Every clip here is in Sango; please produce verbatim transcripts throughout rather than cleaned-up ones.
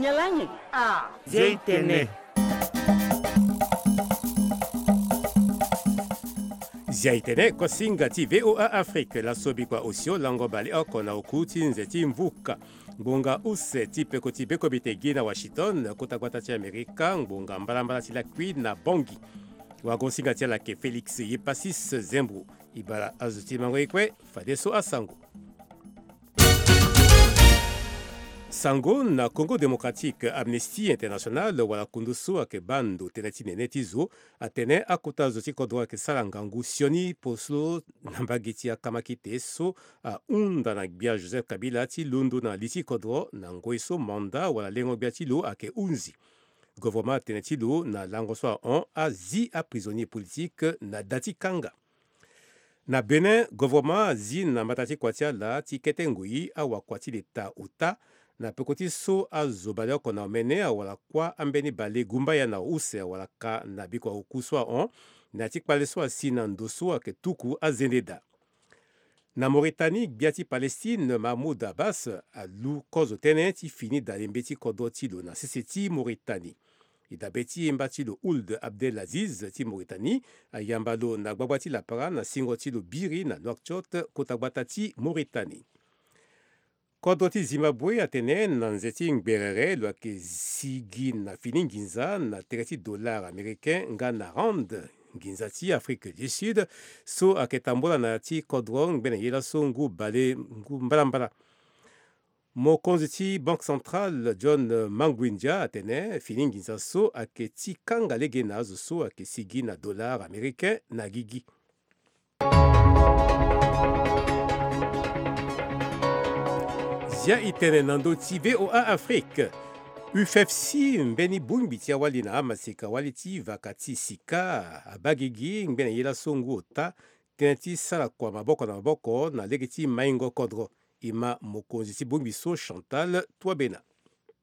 Nyalangi. Ah. Zia itene. Zia itene, kosinga ti V O A Afrique, laso bikua osio lango baleoko na oku ti nze ti mvuka. Ngbonga use ti peko ti bekombite gi na Washington, kota gbata ti Amerika, ngbonga mbalambala ti lakui na Bangui. Wagosinga ti ala ayeke Félix Yepasis Zembro. E bara azo ti mango ye kue, fadeso asango. Sango na Congo Démocratique, Amnesty International wala kundu so ayeke baa ndo tënë ti nene ti zo atene akota zo ti kodro ayeke sara ngangu sioni poso na mbage ti akamakite so ahunda na gbia Joseph Kabila ti londo na li ti kodro na ngoi so manda wala lengo gbia ti lo ayeke hunzi. Govoroma atene ti lo na lango so ahon azi aprisonnier politique na da ti kanga. Na Bénin, govoroma azi na mbata ti kua ti ala ti kete ngoi awakua ti leta ota na peko ti so azo baleoko na omene awala kuâ ambeni bale gumbaya na use awala ka na bikua oku so ahon na ya ti kpale so asi na ndo so ayeke tuku azende daa. Na Mauritanie, gbia ti Palestine Mahmoud Abbas alu kozo tënë ti fini dalembe ti kodro ti lo na sese ti Mauritanie. E dabe ti e mba ti lo Ould Abdelaziz ti Mauritanie ayamba lo na gbagba ti lapara na singo ti lo biri na Nouakchott, kota gbata ti Mauritanie. Kodro ti Zimbabwe atene na nze ti ngberere lo yeke sigi na fini nginza na tere ti dollar américain nga na rand, nginza ti Afrique du Sud, so ayeke tambola na ya ti kodro ngbene ye laso ngu bale ngu mbalambala. Mokonzi ti Banque Centrale John Mangwinja atene fini nginza so ayeke ti kanga lege na azo so ayeke sigi na dollar américain na gigi. Zia itene na ndö ti V O A Afrique. U F F C, mbeni bongbi ti awali na amaseka wali ti vaka ti sika, abaa gigi ngbene ye laso ngu ota tënë ti sara kua maboko na maboko na lege ti maingo kodro. E ma mokonzi ti bongbi so Chantal Touabena.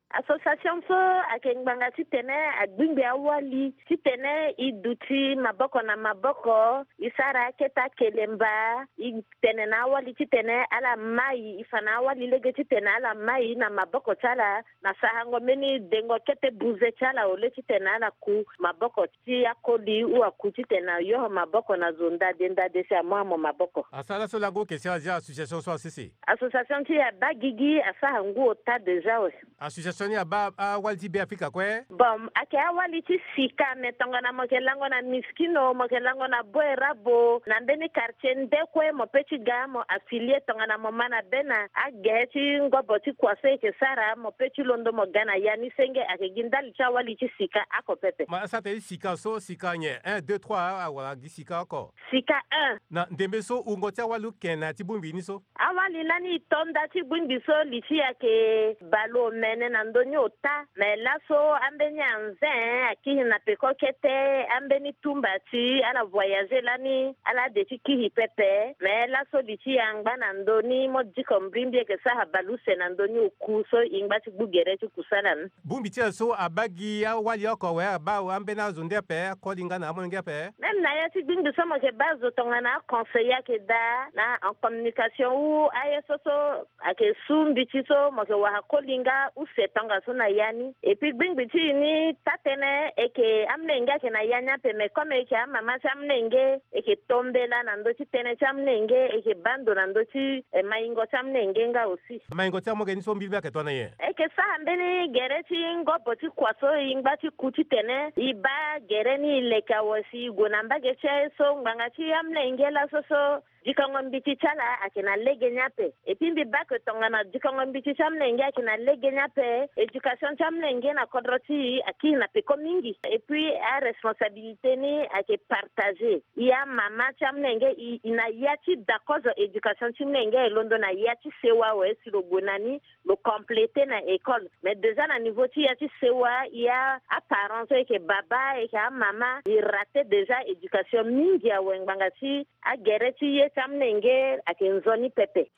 Association so ayeke ngbanga titene agbingbi awali titene e duti maboko na maboko, e sara akete akelemba, e tene na awali titene ala mai, e fa na awali lege titene ala mai na maboko ti ala na sarango mbeni dengo kete buze ti ala, au lieu titene ala ku maboko ti akoli ou aku titene ayoho maboko na zo ndade ndade si amu amo maboko. Asara so lango oke si azia association so asese. Association ti e abaa gigi asara ngu ota déjà we. Association ni abaa awali ti Beafrika kue? Bon, ayeke awali ti sika, me tongana mo yeke lango na miskino, mo yeke lango na boerabo, na mbeni quartier nde kue mo pe ti ga mo affilier, tongana mo ma na be na agere ti ngobo ti kua so e yeke sara, mo pe ti londo mo ga na ya ni senge, ayeke gi ndali ti awali ti sika oko pepe. Ma asara tënë ti sika so, sika nyen? Un, deux, trois, awara gi sika oko. Sika un. Na ndembe so wungo ti awali oke na ya ti bongbi ni so? Awali lani e to nda ti bongbi so li ti e ayeke baleomene na ndö ni ota. Me laso ambeni anze akiri na peko kete, ambeni tumba ti ala voyager lani ala de ti kiri pepe. Me laso li ti e angba na ndö ni, mo diko mbrimbri e yeke sara baleuse na ndö ni oku so e ngba ti gbu gere ti kusala ni. Bongbi ti e so abaa gi awali oko awe, abaa ambeni azo nde ape, akoli nga na amolenge ape? Même na ya ti gbingbi so mo yeke baa zo tongana aconseiller ayeke daa na en communication ou aye so so ayeke su mbiti so mo yeke wara koli nga use tongaso na ya ni. Et puis gbingbi ti e ni taa tënë, e yeke amolenge ayeke na ya ni ape, mais comme e yeke amama ti amolenge, e yeke to mbela na ndö ti tënë ti amolenge, e yeke baa ndo na ndö ti, eh, maingo ti amolenge nga aussi. Maingo ti amolenge ni so mbilimbi ayeke tongana nyen? E yeke sara mbeni gere ti ngobo ti kua so e ngba ti ku titene e baa gere ni e leke awe si e gue na mbage ti aye so ngbanga ti amolenge laso so dikongo mbiti ti ala ayeke na lege ni ape. Et puis mbi baa que tongana dikongo mbiti ti amolenge ayeke na lege ni ape, éducation ti amolenge na kodro ti e akiri na peko mingi. Et puis aresponsabilité ni ayeke partagé. E amama ti amolenge e, e na ya ti da kozo éducation ti molenge e londo na ya ti sewa awe si lo gue na ni, lo compléter na école. Mais déjà na niveau ti ya ti sewa, ya aparents so e yeke baba, e yeke amama, e rater déjà éducation mingi awe ngbanga ti agere ti ye ti amolenge ayeke nzoni pepe.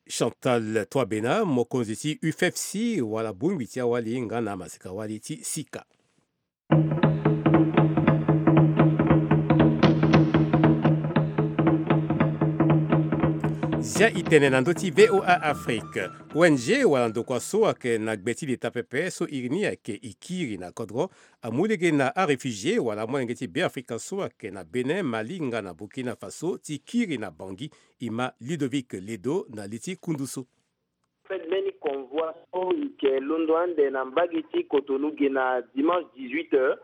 Chantal Touabena, mokonzi ti U F F C, wala bongbi ti awali nga na amaseka wali ti sika. Ya e tene na ndö ti V O A Afrique. O N G wala ndokua so ayeke na gbe ti leta pepe so iri ni ayeke e kiri na kodro amu lege na aréfugié wala amolenge ti Beafrika so ayeke na Bénin, Mali nga na Burkina Faso ti kiri na Bangui. E ma Ludovic Ledo na li ti kundu so. Fête mbeni convoi so e yeke londo ande na mbage ti Cotonou ge na dimanche dix-huit heures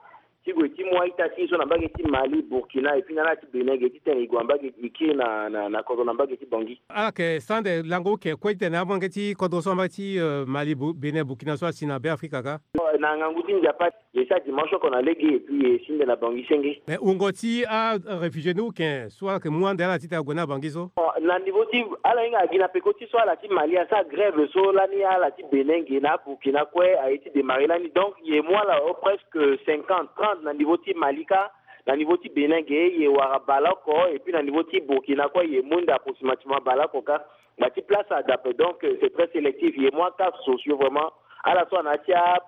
ti gue ti mu a-ita ti e so na mbage ti Mali, Burkina et puis na ala ti Bénin ge titene e gue na mbage e kiri na na na kodro na mbage ti Bangui. Ala yeke sara ande lango oke kue titene amolenge ti kodro so na mbage ti Mali, Bénin, Burkina so asi na Beafrika kâ. Na ngangu ti Nzapa. Ye sa dimanche oko na lege et puis ye si nde na Bangui senge. Mais wungo ti aréfugié ni uken so ala yeke mu ande ala titene ague na Bangui so? Na niveau ti ala hinga agi na peko ti so ala ti Mali asara grève so lani ala ti Bénin ge na Burkina kue aye ti démarrer lani, donc ye mu ala o presque cinquante, trente na niveau ti Mali kâ. Na niveau ti Bénin ge ye wara baleoko et puis na niveau ti Burkina kue ye mu nde approximativement baleoko kâ. Ngba ti place adape, donc c'est très sélectif. Ye mu acas sociaux vraiment, ala so ana ya ti a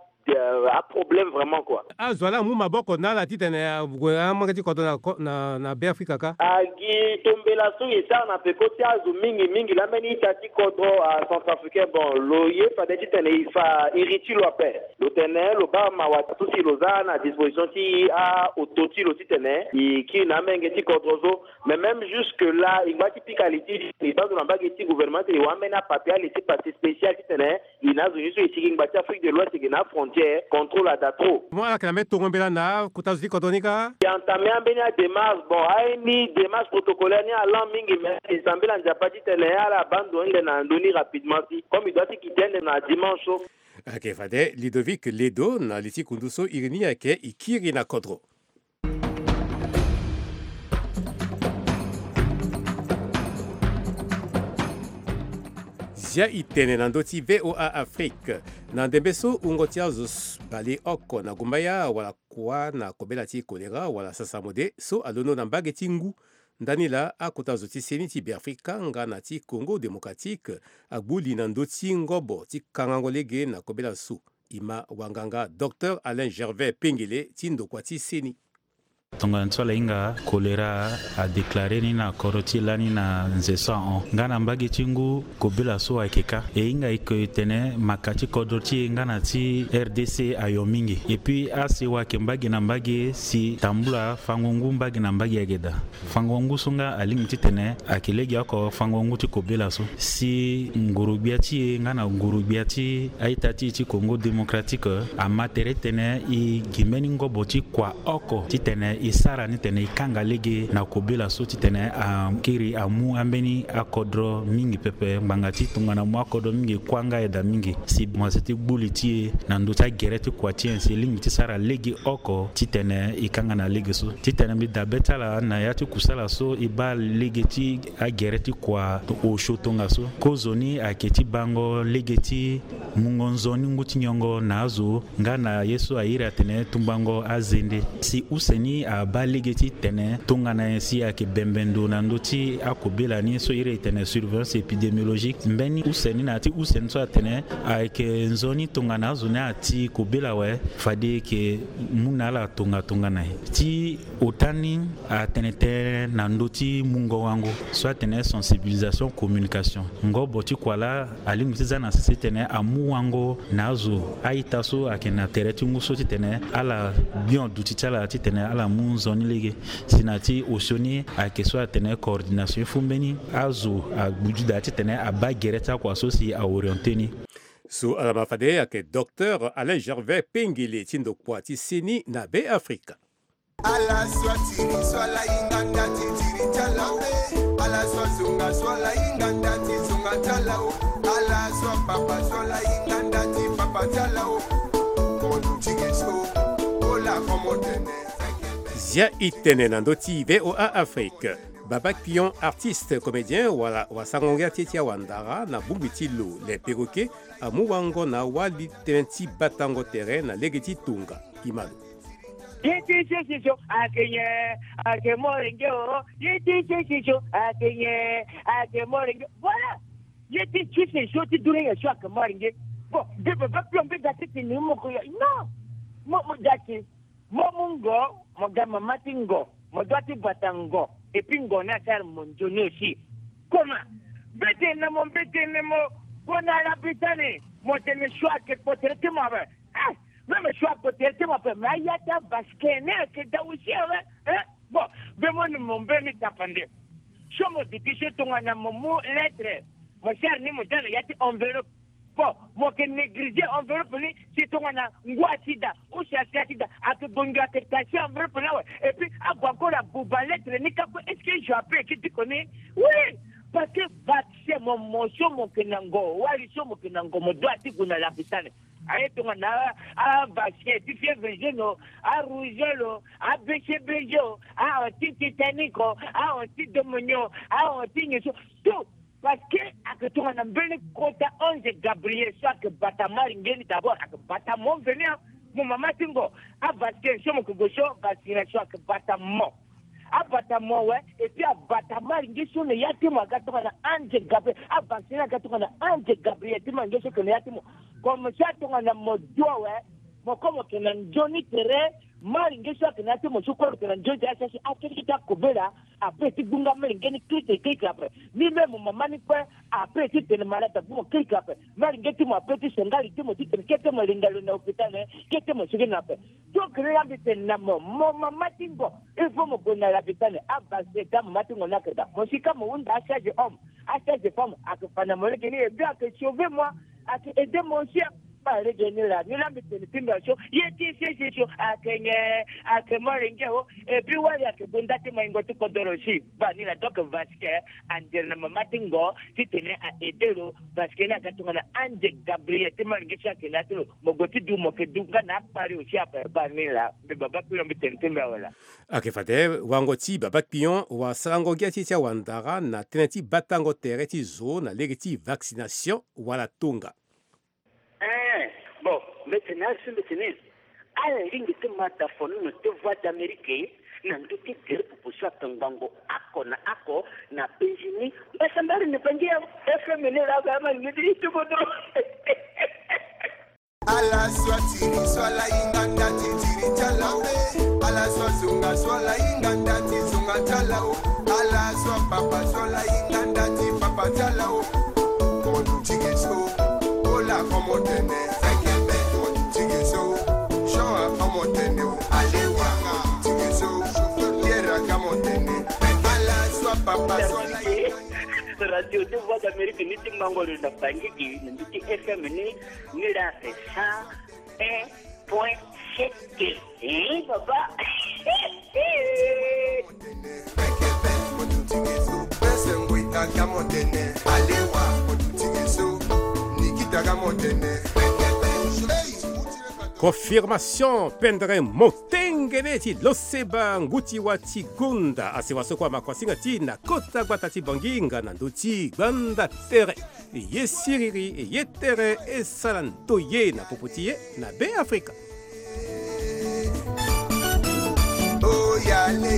aproblème vraiment kua. Azo wa laa amu maboko na ala titene ague amolenge ti kodro na Beafrika kâ? Agi tombela so ye sara na peko ti azo mingi mingi laa mbeni ita ti kodro acentrafricain. Bon, lo ye fade titene e fa iri ti lo ape. Lo tene lo baa mawa so si lo za na disposition ti aoto ti lo titene e kiri na amolenge ti kodro so. Mais même jusque là e ngba ti pika li ti e baa zo na mbage ti gouvernement ti e wara ambeni apapier ale ti passe spécial titene e na azo ni so e sigi ngba ti Afrique de l'Ouest e yeke na afrontière contrôle ada trop. Mo ala yeke na mbeni tongo mbela na akota zo ti kodro ni kâ? E entame ambeni adémarche. Bon, aye ni démarche protocolaire ni alan mingi mais e sambela Nzapa titene ala baa ndo ni nde na ndö ni rapidement si comme e doit ti kite ande na dimanche so. Ayeke fade Ludovic Ledo na li ti kundu so iri ni ayeke e kiri na kodro. Zia e tene na ndö ti V O A Afrique. Na ndembe so wungo ti azo baleoko na gumbaya wala kua na kobela ti kolera wala sasamode so alondo na mbage ti ngu. Ndani laa akota zo ti seni ti Beafrika nga na ti Congo Démocratique agbu li na ndö ti ngobo ti kangango lege na kobela so. E ma wanganga Docteur Alain Gervais Pengele ti ndokua ti seni. Tongana ti so ala hinga kolera adeklare ni na kodro ti e lani na nze so ahon nga na mbage ti ngu kobela so ayeke kâ. E hinga e ko e tene maka ti kodro ti e nga na ti R D C ayo mingi. Epui asewa ayeke mbage na mbage si tambula fango ngu mbage na mbage ayeke daa. Fango ngu so nga alingbi titene ayeke legeoko fango ngu ti kobela so si nguru-gbia ti e nga na nguru-gbia ti a-ita ti e ti Congo Démocratique ama tere titene e gi mbeni ngobo ti kua oko titene e sara ni titene e kanga lege na kobela so titene akiri amu ambeni akodro mingi pepe ngbanga ti tongana amu akodro mingi e kuâ nga ayeda mingi si mo si ti gbu li ti e na ndö ti agere ti kua ti e si e lingbi ti sara lege oko titene e kanga na lege so titene mbi dabe ti ala na ya ti kusala so e baa lege ti agere ti kua osio tongaso. Kozoni ayeke ti bango lege ti mungo nzoni ngu ti nyongo na azo nga na ye so a iri atene tumbango azende. Si use ni abaa lege ti tene tongana nyen si ayeke bembe ndo na ndö ti akobela ni so iri e tene surveillance épidémiologique. Mbeni use ni na ya ti use ni so atene ayeke nzoni tongana azo ni ati kobela awe fade e yeke mu na ala tongatonga na e ti ota ni atene tënë na ndö ti mungo wango so atene sensibilisation communication. Ngobo ti kua laa alingbi ti za na sese titene amu wango na azo a-ita so ayeke na tere ti ngu so titene ala gbion duti ti ala titene ala mu nzoni lege. Si na ya ti osio ni ayeke so atene coordination e fu mbeni azo agbu ti daa titene abaa gere ti akua so si a orienté ni. So ala ma fade ayeke Docteur Alain Gervais Pengele ti ndokua ti seni na Beafrika. Ala so atiri so ala hinga nda ti tiri ti ala o. Ala so azonga so ala hinga nda ti zonga ti ala o. Ala so apapa so ala hinga nda ti papa ti ala o. Mo duti ge so. Ola komo tene. Zia e tene na ndö ti V O A Afrique. Baba Pion, artiste, comédien wala wasango ngia ti e ti awandara na bongbi ti lo, le perroquet, amu wango na awali tënë ti batango tere na lege ti tonga. E ma lo. Ye ti sese so ayeke nyen? Ayeke morenge o. Ye ti sese so ayeke nyen? Ayeke morenge. Voilà. Ye ti sese so ti duria nyen so ayeke morenge? Bon, mbi baba Pion mbi ga ti tene moko ya. Non. Mo mo ga ti mo mu ngo, mo ga mama ti ngo, mo doit ti bata ngo. Et puis ngo ni asara mo nzoni aussi. Comment? Mbetene mo, mbetene mo. Gue na Arabie Saoudite, mo tene choix ayeke kpo tere ti mo ape. Ah, même choix kpo tere ti mo ape, mais aya ti avasquin ni ayeke daa aussi awe. Eh, bon, mbe mo ni mo mbe ni tapande. So mo duti so tongana mo mu lettre, mo sere ni mo daa na ya ti enveloppe. Bon, mo yeke négliger enveloppe ni, si tongana ngu asi daa, ou si asi asi daa, ayeke gue ngia ayeke tacher enveloppe ni awe. Et puis ague encore abuba lettre ni kâ kue, est-ce que je peux eke ti ko ni? Oui, parce que vaccin mo, mo so mo yeke na ngo, wali so mo yeke na ngo, mo doit ti gue na lapitane. Aye tongana avasquin ti fièvre jaune o, arougeole o, abcbg o, a-anti-tétanique o, a-anti-domonio, a-anti-nyen so, tout. Parce que ayeke tongana mbeni kota ange Gabriel so ayeke bata malinge ni, d'abord ayeke bata mo mveni, mo mama ti ngo. Avasquin so mo yeke gue so, vaccination ayeke bata mo. Abata mo awe, et puis abata malinge so na ya ti mo aga tongana ange Gabriel. Avasquin aga tongana ange Gabriel ti malinge so ayeke na ya ti mo. Comme ça tongana mo dua awe, mo kue mo yeke na nzoni tere. Malinge so ayeke na ya ti mo so kue mo yeke na nzoni tere, asi asi akeke ti akobela. Ape ti gbunga malinge ni kirikiri kirikiri ape. Ni même mo mama ni kue, ape ti tene malade abu mo kirikiri ape. Malinge ti mo ape ti senga li ti mo titene kete mo linda lo na hôpital, kete mo sigi na ape. Donc ni la mbi tene na mo, mo mama ti ngo, il faut mo gue na lapitane. Avasquin ti amama ti ngo ni ayeke daa. Mo si kâ mo hunda acharge homme, acharge femme, ayeke fa na mo lege ni, et puis ayeke sauver moi, ayeke aider mo aussi. Ba lege ni la, ni la mbi tene ti mbi so, ye ti sese so ayeke nyen? Ayeke molenge o. Et puis wali ayeke gue nda ti maingo ti kodoro si. Ba ni la, donc vasquin andere na mama ti ngo titene a-aider lo. Vasquin ni aga tongana ange Gabriel ti malinge so ayeke na ya ti lo. Mo gue ti du, mo yeke du nga na akpari aussi ape. Ba ni la, mbi baba kpirion mbi tene ti mbi awe la. Ayeke fade wango ti baba kpirion, wasarango gi ya ti ti awandara na tënë ti batango tere ti zo na lege ti vaccination wala tonga. Eh, bon, mbetene, ari so mbetene. Ala lingbi ti ma dafonono ti Voix d'Amérique na ndö ti gere popo so ayeke ngbongo oko na oko na penzi ni. Mbasambara ni Bangi ya F M ni la, ga ma ni ti kodro. Ala so atiri so ala hinga nda ti tiri ti ala o. Ala so azonga so ala hinga nda ti zonga ti ala o. Ala so apapa so ala hinga nda ti papa ti ala o. Mo duti ge so, Paul ako mo tene, Fekebe mo duti ge so, Jean ako mo tene o, Alewa mo duti ge so, Pierre aka mo tene. Ala so apapa so ala hinga. Radio de Voix d'Amérique ni ti mango lo na Bangui gi, na ndö ti F M ni, ni la c'est cent un point sept. Eh, baba. Confirmation, pendere motengene ti loseba nguti wa ti gonda. Asewa so kua makuasinga ti na kota gbata ti Bangui nga na ndö ti gbanda tere. Ye siriri, ye tere, e sara ndoye na popo ti e na Be Afrika. Oyale,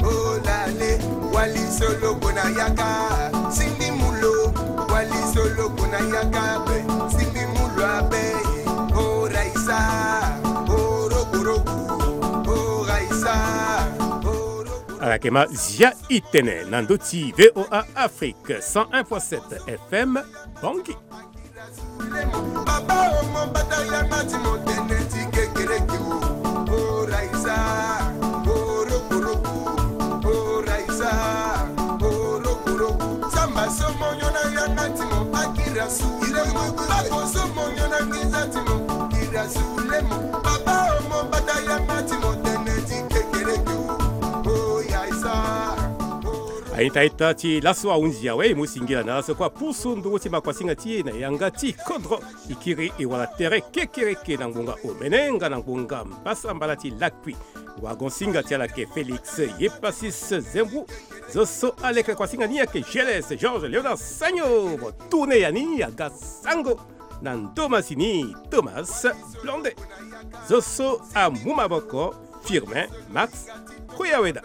olale, wali solo kona yaka, sindi mulo, wali solo kona yaka be, sindi mulo abe, oraisa, orokoroku, oraisa, orokoroku. Ala yeke ma zia i tene na ndö ti V O A Afrique cent un point sept F M, Bangui. Papa omo bata yanga ti mo tene ti kekereke o. Oraisa, orokoroko, oraisa, orokoroko. Samba so mo nyon na yanga ti mo akira su. Bako so mo nyon na nginza ti mo kira su lemo. Papa omo bata yanga ti mo tene ti kekereke o. Oyaisa. Aita ita ti laso ahunzi awe, e mu singila na laso kua pusu nduru ti makuasinga ti e na yanga ti kodro. E kiri e wala tere kekereke na ngbonga omene nga na ngbonga mbasambala ti lakui. Wagon-singa ti ala yeke Félix Yepasis Zembou. Zo so aleke kuasinga ni ayeke G L S Georges Léonard Sagno. Mo tourne ya ni aga sango na ndo masini Thomas Blonde. Zo so amu maboko Firmin Max Koyaweda.